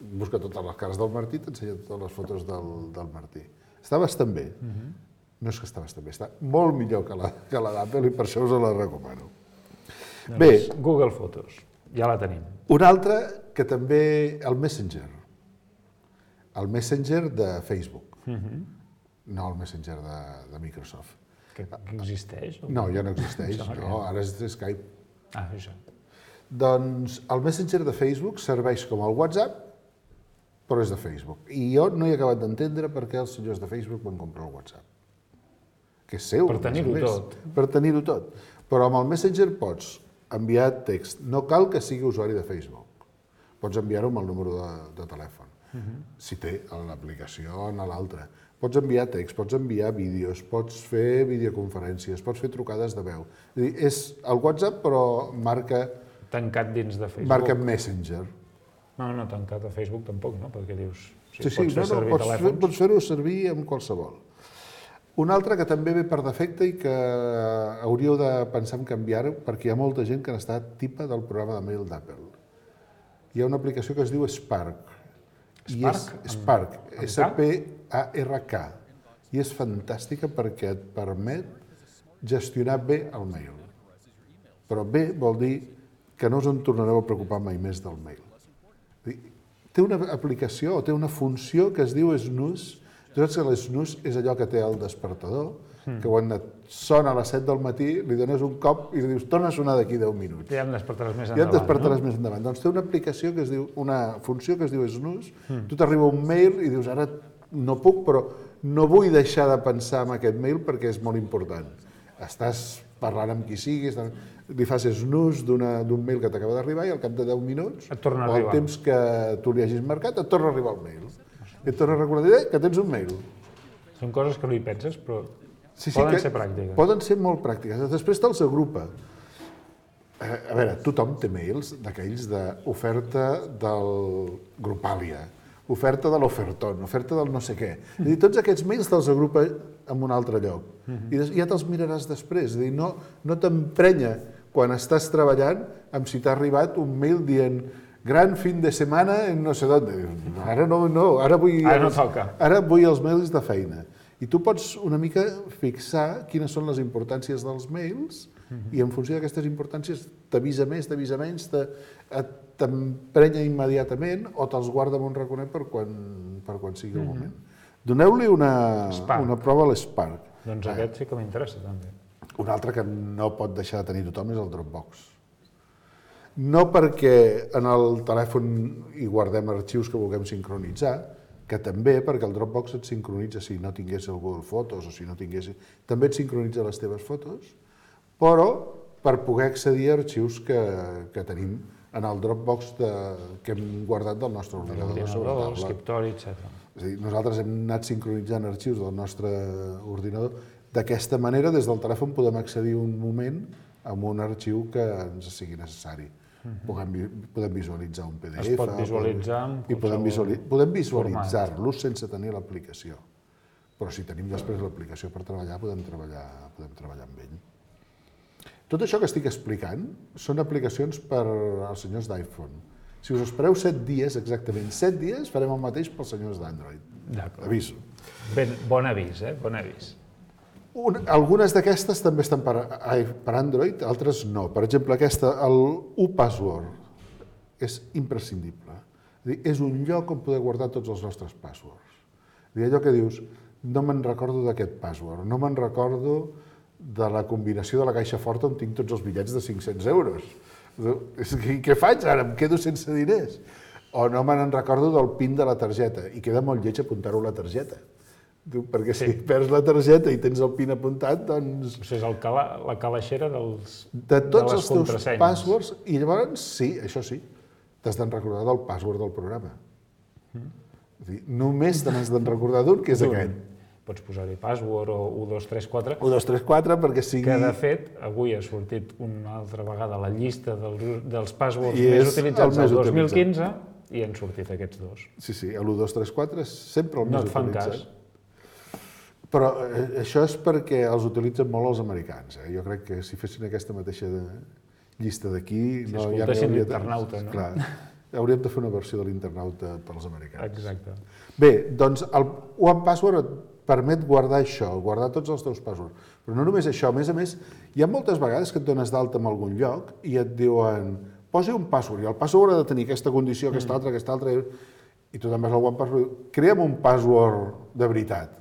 Busca totes les cares del Martí i t'ensenya totes les fotos del Martí. Està bastant bé. No és que està bastant bé, està molt millor que la d'Apple i per això us la recomano. Bé, Google Fotos, ja la tenim. Una altra que també, el Messenger de Facebook, no el Messenger de Microsoft. Que existeix? No, ja no existeix, no, ara és Skype. Ah, això. Doncs el Messenger de Facebook serveix com el WhatsApp, però és de Facebook. I jo no he acabat d'entendre per què els senyors de Facebook van comprar el WhatsApp. Que és seu, per tenir-ho tot. Per tenir-ho tot. Però amb el Messenger pots enviar text. No cal que sigui usuari de Facebook. Pots enviar-ho amb el número de telèfon. Si té l'aplicació en l'altre. Pots enviar text, pots enviar vídeos, pots fer videoconferències, pots fer trucades de veu. És el WhatsApp, però marca... Tancat dins de Facebook. Marca Messenger. No, tancat a Facebook tampoc, no? Perquè dius... Pots fer-ho servir amb qualsevol. Una altra que també ve per defecte i que hauríeu de pensar en canviar-ho perquè hi ha molta gent que n'està tipa del programa de mail d'Apple. Hi ha una aplicació que es diu Spark. Spark, S-P-A-R-K. I és fantàstica perquè et permet gestionar bé el mail. Però bé vol dir que no us en tornareu a preocupar mai més del mail. Té una aplicació o té una funció que es diu Snooze. Tu saps que l'snooze és allò que té el despertador, que quan et sona a les 7 del matí li dones un cop i li dius torna a sonar d'aquí 10 minuts. Ja em despertaràs més endavant. Ja et despertaràs més endavant. Doncs té una aplicació que es diu, una funció que es diu snooze, tu t'arriba un mail i dius ara no puc, però no vull deixar de pensar en aquest mail perquè és molt important. Estàs parlant amb qui siguis, li fas snooze d'un mail que t'acaba d'arribar i al cap de 10 minuts, o el temps que tu li hagis marcat, et torna a arribar el mail. I et torna a recordar que tens un mail. Són coses que no hi penses, però poden ser pràctiques. Poden ser molt pràctiques. Després te'ls agrupa. A veure, tothom té mails d'aquells d'oferta del Grupàlia, oferta de l'Oferton, oferta del no sé què. És a dir, tots aquests mails te'ls agrupa en un altre lloc. I ja te'ls miraràs després. És a dir, no t'emprenya quan estàs treballant amb si t'ha arribat un mail dient gran fin de setmana en no sé d'on. Ara no, ara vull els mails de feina. I tu pots una mica fixar quines són les importàncies dels mails i en funció d'aquestes importàncies t'avisa més, t'avisa menys, t'emprenya immediatament o te'ls guarda en un raconet per quan sigui el moment. Doneu-li una prova a l'Spark. Doncs aquest sí que m'interessa també. Un altre que no pot deixar de tenir tothom és el Dropbox. No perquè en el telèfon hi guardem arxius que vulguem sincronitzar, que també perquè el Dropbox et sincronitza si no tingués el Google Fotos o si no tingués... També et sincronitza les teves fotos, però per poder accedir a arxius que tenim en el Dropbox que hem guardat del nostre ordinador sobre taula. L'escriptori, etc. És a dir, nosaltres hem anat sincronitzant arxius del nostre ordinador. D'aquesta manera, des del telèfon podem accedir un moment a un arxiu que ens sigui necessari. Podem visualitzar un PDF. Es pot visualitzar i podem visualitzar-los sense tenir l'aplicació. Però si tenim després l'aplicació per treballar, podem treballar amb ell. Tot això que estic explicant són aplicacions per als senyors d'iPhone. Si us espereu 7 dies, exactament 7 dies, farem el mateix pels senyors d'Android. D'acord. Aviso. Bon avís, bon avís. Algunes d'aquestes també estan per Android, altres no. Per exemple, aquesta, el uPassword, és imprescindible. És un lloc on poder guardar tots els nostres passwords. Allò que dius, no me'n recordo d'aquest password, no me'n recordo de la combinació de la caixa forta on tinc tots els bitllets de 500 euros. Què faig ara? Em quedo sense diners. O no me'n recordo del PIN de la targeta, i queda molt lleig apuntar-ho a la targeta. Perquè si perds la targeta i tens el PIN apuntat, doncs... Això és la calaixera de les contrasenyes. De tots els teus passwords, i llavors, sí, això sí, t'has d'en recordar del password del programa. Només te n'has d'en recordar d'un, que és aquest. Pots posar-hi password o 1234. 1234 perquè sigui... Que, de fet, avui ha sortit una altra vegada la llista dels passwords més utilitzats del 2015 i han sortit aquests dos. Sí, l'1234 és sempre el més utilitzat. No et fan cas. Però això és perquè els utilitzen molt els americans. Jo crec que si fessin aquesta mateixa llista d'aquí... Si escoltessin l'internauta, no? Clar, hauríem de fer una versió de l'internauta pels americans. Exacte. Bé, doncs el OnePassword et permet guardar això, guardar tots els teus passwords. Però no només això, a més, hi ha moltes vegades que et dones d'alta en algun lloc i et diuen posi un password, i el password ha de tenir aquesta condició, aquesta altra, i tu també vas al OnePassword, crea'm un password de veritat.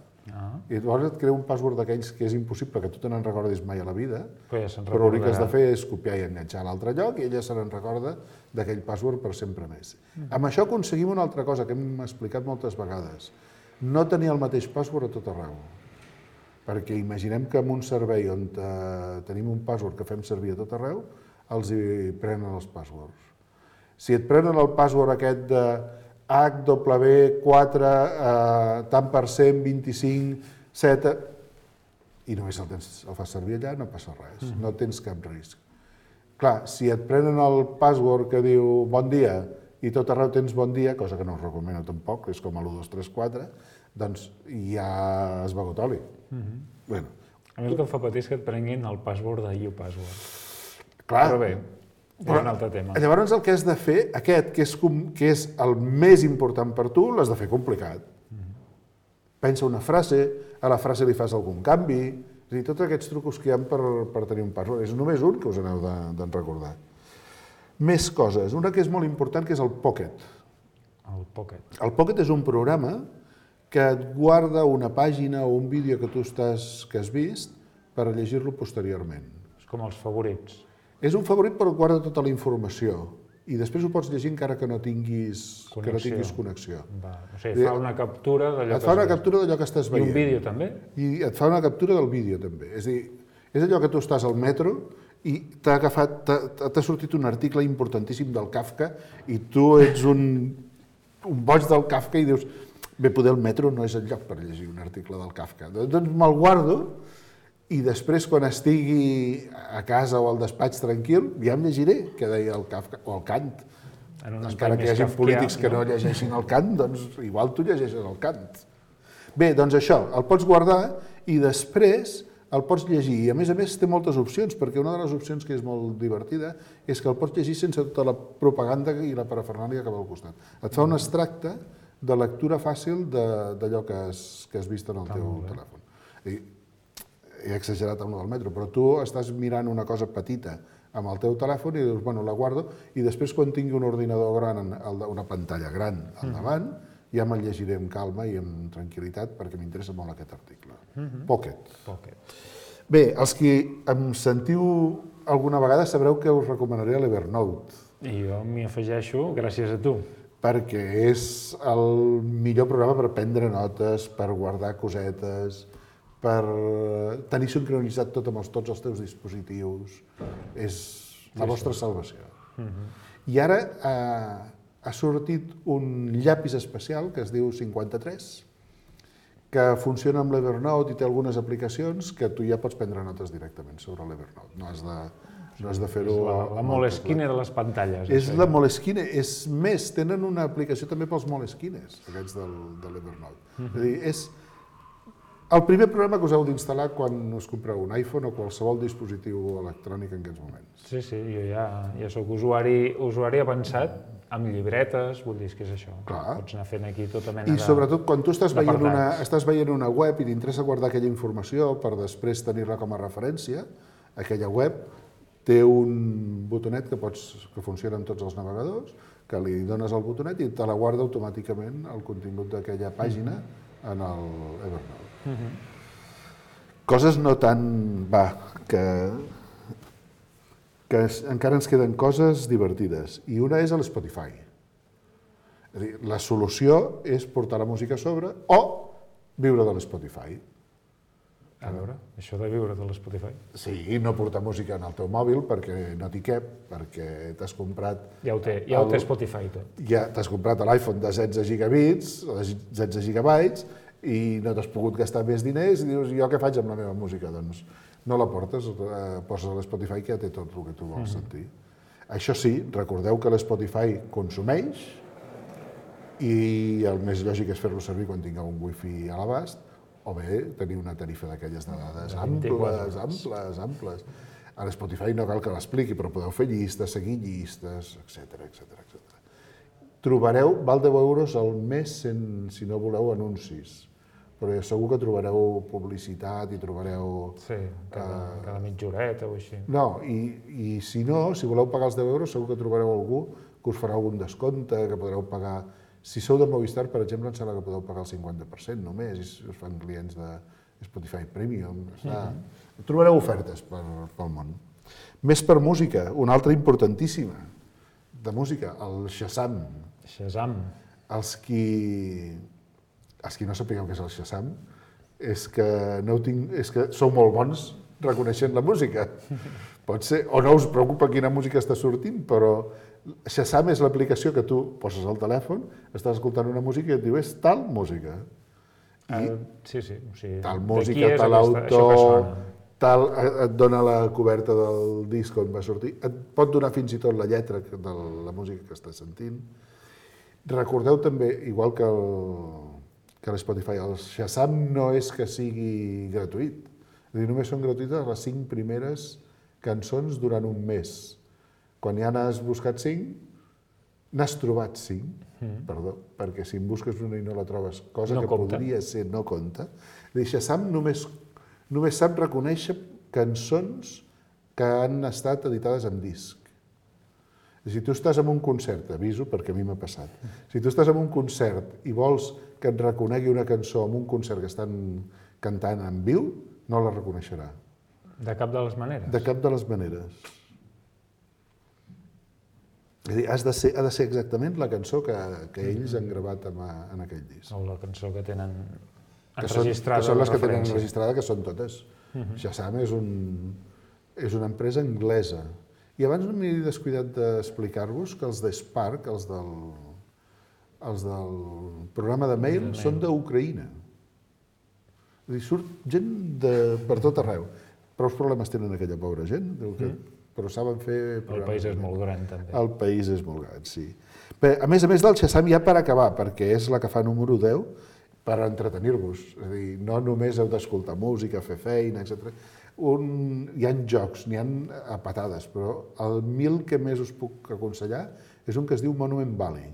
I llavors et crea un password d'aquells que és impossible que tu te n'en recordis mai a la vida, però l'únic que has de fer és copiar i enganxar a l'altre lloc i ella se n'en recorda d'aquell password per sempre més. Amb això aconseguim una altra cosa que hem explicat moltes vegades. No tenir el mateix password a tot arreu. Perquè imaginem que en un servei on tenim un password que fem servir a tot arreu, els hi prenen els passwords. Si et prenen el password aquest de HW4, tant per cent, 25, 7, i només el fas servir allà, no passa res, no tens cap risc. Clar, si et prenen el password que diu bon dia i tot arreu tens bon dia, cosa que no us recomano tampoc, és com l'1234, doncs ja has begut oli. A mi el que em fa patir és que et prenguin el password de uPassword. Clar. Però bé, és un altre tema. Llavors el que has de fer, aquest, que és el més important per tu, l'has de fer complicat. Pensa una frase, a la frase li fas algun canvi, és a dir, tots aquests trucos que hi ha per tenir un password. És només un que us aneu de recordar. Més coses. Una que és molt important, que és el Pocket. El Pocket. El Pocket és un programa que et guarda una pàgina o un vídeo que tu has vist per llegir-lo posteriorment. És com els favorits. És un favorit però et guarda tota la informació i després ho pots llegir encara que no tinguis connexió. O sigui, fa una captura d'allò que et fa una captura d'allò que estàs veient. I un vídeo també? I et fa una captura del vídeo també. És a dir, és allò que tu estàs al metro i t'ha sortit un article importantíssim del Kafka i tu ets un boig del Kafka i dius bé, poder el metro no és el lloc per llegir un article del Kafka. Doncs me'l guardo i després, quan estigui a casa o al despatx tranquil, ja em llegiré què deia el Kafka o el Kant. Encara que hi hagi polítics que no llegeixin el Kant, doncs igual tu llegeixes el Kant. Bé, doncs això, el pots guardar i després el pots llegir. I a més té moltes opcions, perquè una de les opcions que és molt divertida és que el pots llegir sense tota la propaganda i la parafernàlia que va al costat. Et fa un extracte de lectura fàcil d'allò que has vist en el teu telèfon. He exagerat amb el del metro, però tu estàs mirant una cosa petita amb el teu telèfon i dius, bueno, la guardo, i després quan tingui un ordinador gran, una pantalla gran al davant, ja me'l llegiré amb calma i amb tranquil·litat perquè m'interessa molt aquest article. Pocket. Bé, els que em sentiu alguna vegada sabreu que us recomanaré l'Evernote. I jo m'hi afegeixo gràcies a tu. Perquè és el millor programa per prendre notes, per guardar cosetes, per tenir sincronitzat tot amb tots els teus dispositius. És la vostra salvació. I ara ha sortit un llapis especial que es diu 53, que funciona amb l'Evernote i té algunes aplicacions que tu ja pots prendre notes directament sobre l'Evernote. No has de fer-ho... La Moleskine de les pantalles. És la Moleskine. És més, tenen una aplicació també pels Moleskines, aquests de l'Evernote. És a dir, El primer programa que us heu d'instal·lar quan us compreu un iPhone o qualsevol dispositiu electrònic en aquests moments. Sí, jo ja soc usuari avançat, amb llibretes, vull dir, que és això. Clar. Pots anar fent aquí tota mena I sobretot quan tu estàs d'apartats. veient una web i t'interessa guardar aquella informació per després tenir-la com a referència, aquella web té un botonet que funciona en tots els navegadors, que li dones el botonet i te la guarda automàticament el contingut d'aquella pàgina en el Evernote. Coses no tan... que encara ens queden coses divertides. I una és l'Spotify. És a dir, la solució és portar la música a sobre o viure de l'Spotify. A veure, això de viure de l'Spotify. Sí, no portar música en el teu mòbil perquè no t'hi cap, perquè t'has comprat... Ja ho té Spotify tot. Ja t'has comprat l'iPhone de 16 gigabits, o de 16 gigabytes, i no t'has pogut gastar més diners, i dius, jo què faig amb la meva música? Doncs no la portes, poses a l'Spotify que ja té tot el que tu vols sentir. Això sí, recordeu que l'Spotify consumeix, i el més lògic és fer-lo servir quan tingueu un wifi a l'abast, o bé tenir una tarifa d'aquelles de dades amples. A l'Spotify no cal que l'expliqui, però podeu fer llistes, seguir llistes, etc. Trobareu, val 10 euros al mes si no voleu anuncis, però segur que trobareu publicitat i trobareu... Sí, cada mitja horeta o així. No, i si no, si voleu pagar els 10 euros, segur que trobareu algú que us farà algun descompte, que podreu pagar... Si sou de Movistar, per exemple, em sembla que podeu pagar el 50% només, i si us fan clients de Spotify Premium. Trobareu ofertes pel món. Més per música, una altra importantíssima de música, el Shazam. Shazam. Els qui no sapigueu què és el Shazam és que sou molt bons reconeixent la música. Pot ser, o no us preocupa quina música està sortint, però Shazam és l'aplicació que tu poses al telèfon, estàs escoltant una música i et diu, és tal música. Sí, o sigui, tal música, tal autor, tal, et dona la coberta del disc on va sortir, et pot donar fins i tot la lletra de la música que estàs sentint. Recordeu també, igual que l'Spotify, el Shazam no és que sigui gratuït. És a dir, només són gratuïtes les 5 primeres cançons durant un mes. Quan ja n'has buscat 5, n'has trobat 5, perdó, perquè si en busques una i no la trobes, cosa que podria ser no compta, Shazam només sap reconèixer cançons que han estat editades en disc. Si tu estàs en un concert, t'aviso perquè a mi m'ha passat, si tu estàs en un concert i vols que et reconegui una cançó en un concert que estan cantant en viu, no la reconeixerà. De cap de les maneres? De cap de les maneres. És a dir, ha de ser exactament la cançó que ells han gravat en aquell disc. O la cançó que tenen enregistrada. Que són les que tenen enregistrada, que són totes. Shazam és una empresa anglesa. I abans no m'he descuidat d'explicar-vos que els de Spark, els del programa de mail, són d'Ucraïna. És a dir, surt gent per tot arreu. Prou problemes tenen aquella pobra gent, però saben fer... El país és molt gran, també. El país és molt gran, sí. A més del Shazam, ja per acabar, perquè és la que fa número 10, per entretenir-vos. És a dir, no només heu d'escoltar música, fer feina, etc. Hi ha jocs, n'hi ha a patades, però el 1000 que més us puc aconsellar és un que es diu Monument Valley.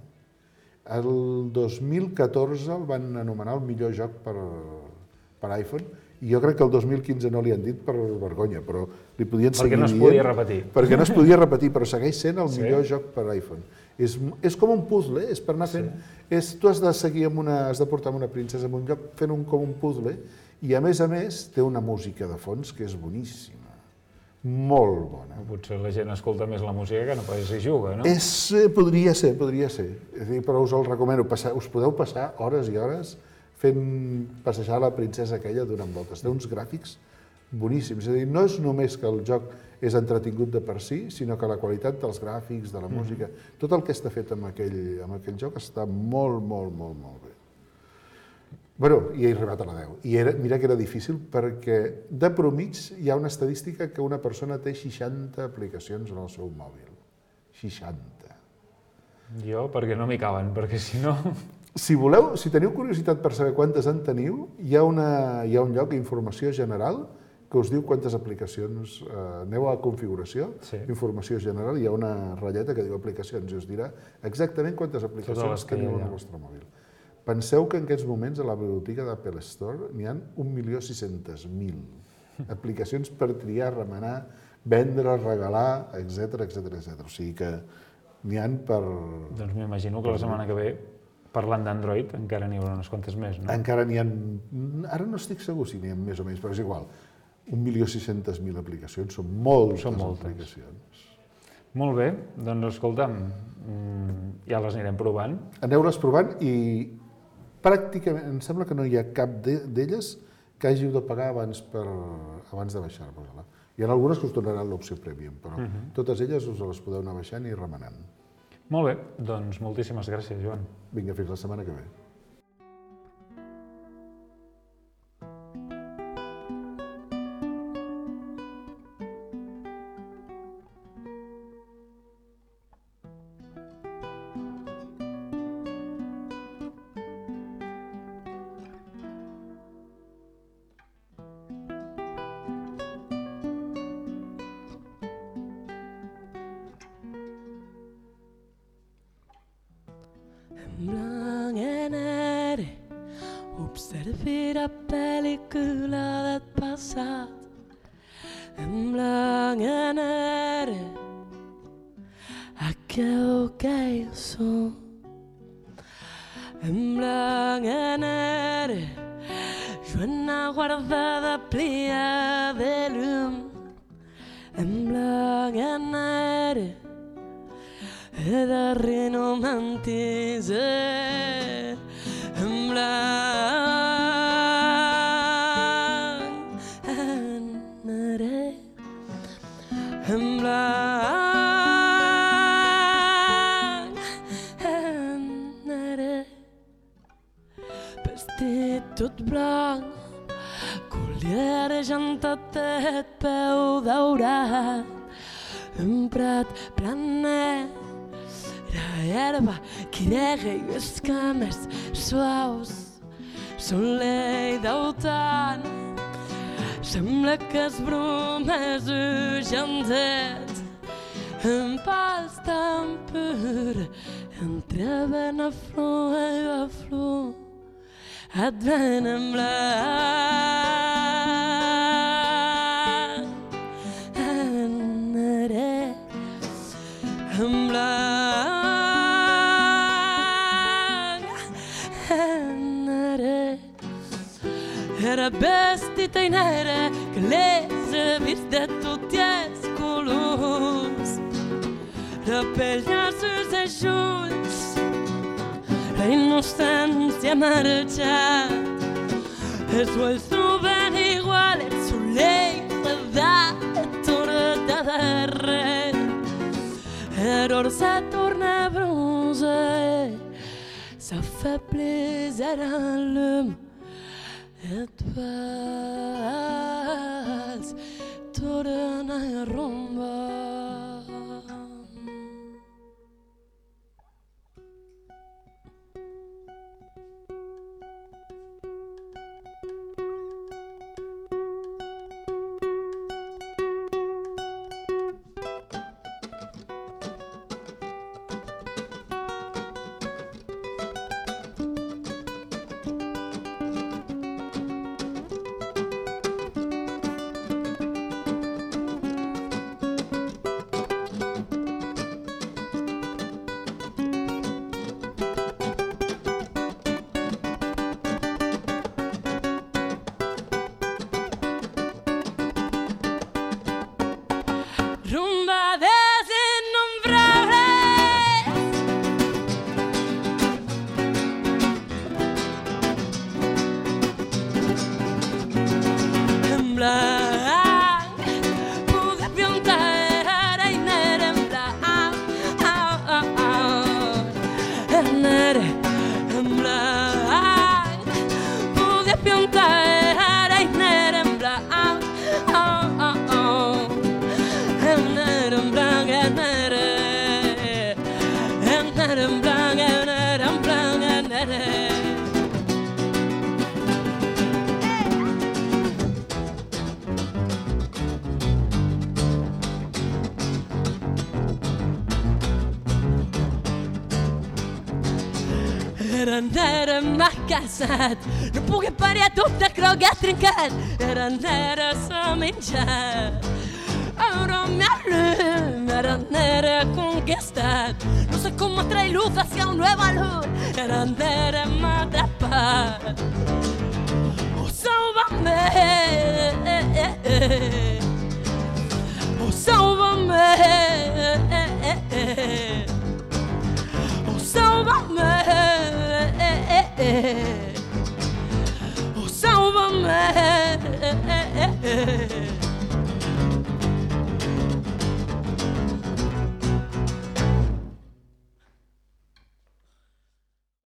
El 2014 el van anomenar el millor joc per iPhone, i jo crec que el 2015 no li han dit per vergonya, però li podien seguir dient... Perquè no es podia repetir. Perquè no es podia repetir, però segueix sent el millor joc per iPhone. És com un puzzle, és per anar fent... Tu has de seguir has de portar una princesa en un lloc fent com un puzzle, i a més té una música de fons que és boníssima. Molt bona. Potser la gent escolta més la música que no pas hi juga, no? Podria ser. És a dir, però us el recomano. Us podeu passar hores i hores fent passejar la princesa aquella donant voltes. Té uns gràfics boníssims. És a dir, no és només que el joc és entretingut de per si, sinó que la qualitat dels gràfics, de la música, tot el que està fet amb aquell joc està molt, molt, molt, molt bé. Bé, i he arribat a la 10. I mira que era difícil perquè de promig hi ha una estadística que una persona té 60 aplicacions en el seu mòbil. 60. Jo, perquè no m'hi caben, perquè si no... Si teniu curiositat per saber quantes en teniu, hi ha un lloc, informació general, que us diu quantes aplicacions. Aneu a configuració, informació general, hi ha una ratlleta que diu aplicacions i us dirà exactament quantes aplicacions teniu en el vostre mòbil. Penseu que en aquests moments a la biblioteca d'Apple Store n'hi ha 1.600.000 aplicacions per triar, remenar, vendre, regalar, etc. O sigui que n'hi ha per... Doncs m'imagino que la setmana que ve, parlant d'Android, encara n'hi haurà unes quantes més, no? Encara n'hi ha... Ara no estic segur si n'hi ha més o menys, però és igual. 1.600.000 aplicacions, són moltes aplicacions. Molt bé, doncs escolta'm, ja les anirem provant. Aneu-les provant i pràcticament, em sembla que no hi ha cap d'elles que hàgiu de pagar abans de baixar-vos-la. Hi ha algunes que us donaran l'opció Premium, però totes elles us les podeu anar baixant i remenant. Molt bé, doncs moltíssimes gràcies, Joan. Vinga, fins la setmana que ve. Blanc e nere, observi la pel·lícula del passat. En blanc e nere, aquell que jo som. En blanc e nere, jo una guardada plia de llum. En blanc e nere, e darrere non mentise en blanc nere en blanc nere vestit tot blanc collier jantatet peu daurat un prat planet la herba que nega i les cames suaus soleil d'autant sembla que es bromes ujandet un pas tan pur entre ben a flor i a flor et ven en blanc en blanc era vestita in nere che les vist de tutti els colors la pell als seus ulls la innocència marxat els ulls troben igual el soleil de torta de res error se torna bronze s'affaiblit à l'homme et vas tornar a rumba. nere. Era nere m'ha casat, no puc parir tot de crogat trencat. Era nere s'ha menjat, ara me llum, era nere conquistat. No sé cómo trae luz hacia un nuevo luz. Era nere